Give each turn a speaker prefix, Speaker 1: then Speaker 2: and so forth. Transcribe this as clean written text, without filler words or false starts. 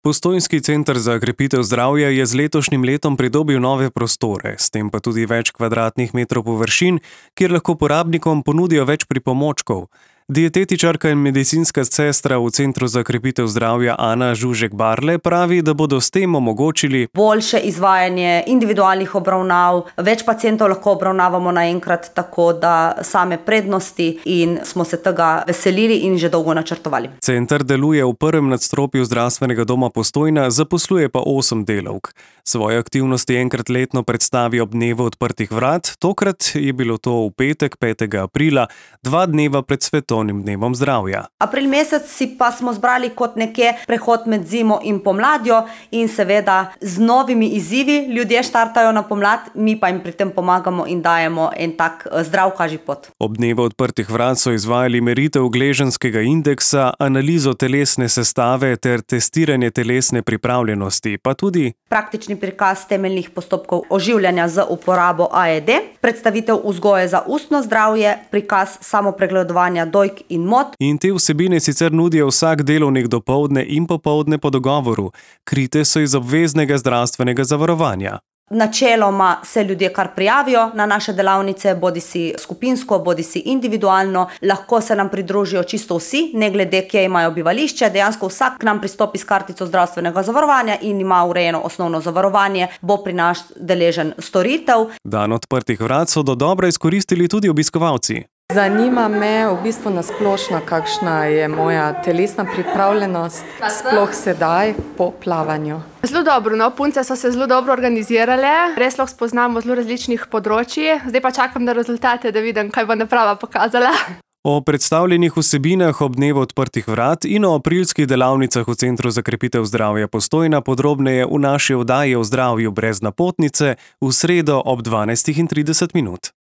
Speaker 1: Postojnski center za krepitev zdravja je z letošnjim letom pridobil nove prostore, s tem pa tudi več kvadratnih metrov površin, kjer lahko porabnikom ponudijo več pripomočkov. Dietetičarka in medicinska sestra v Centru za krepitev zdravja Ana Žužek-Barle pravi, da bodo s tem omogočili
Speaker 2: boljše izvajanje individualnih obravnav, več pacientov lahko obravnavamo naenkrat, tako da same prednosti in smo se tega veselili in že dolgo načrtovali.
Speaker 1: Center deluje v prvem nadstropju zdravstvenega doma Postojna, zaposluje pa 8 delavk. Svoje aktivnosti enkrat letno predstavi ob dnevu odprtih vrat, tokrat je bilo to v petek 5. aprila, 2 dneva pred svetovnim dnevom zdravja.
Speaker 2: April mesec si pa smo zbrali kot nekje prehod med zimo in pomladjo in seveda z novimi izzivi ljudje štartajo na pomlad, mi pa jim pri tem pomagamo in dajemo en tak zdrav kažipot.
Speaker 1: Ob dnevu odprtih vrat so izvajali meritev gleženskega indeksa, analizo telesne sestave ter testiranje telesne pripravljenosti, pa tudi
Speaker 2: praktični prikaz temeljnih postopkov oživljanja z uporabo AED, predstavitev vzgoje za ustno zdravje, prikaz samopregledovanja dojk in mot.
Speaker 1: In te vsebine sicer nudijo vsak delovnik dopoldne in popoldne po dogovoru, krite so iz obveznega zdravstvenega zavarovanja.
Speaker 2: Načeloma se ljudje kar prijavijo na naše delavnice, bodisi skupinsko, bodisi individualno, lahko se nam pridružijo čisto vsi, ne glede kje imajo bivališče, dejansko vsak k nam pristopi s kartico zdravstvenega zavarovanja in ima urejeno osnovno zavarovanje, bo pri nas deležen storitev.
Speaker 1: Dan odprtih vrat so dodobra izkoristili tudi obiskovalci.
Speaker 3: Zanima me v bistvu nasplošno, kakšna je moja telesna pripravljenost, sploh sedaj po plavanju.
Speaker 4: Zelo dobro, no, punce so se zelo dobro organizirale, res lahko spoznamo zelo različnih področji, zdaj pa čakam na rezultate, da vidim, kaj bo naprava pokazala.
Speaker 1: O predstavljenih vsebinah ob dnevu odprtih vrat in o aprilskih delavnicah v Centru za krepitev zdravja Postojna podrobneje v naši oddaji o zdravju brez napotnice v sredo ob 12:30.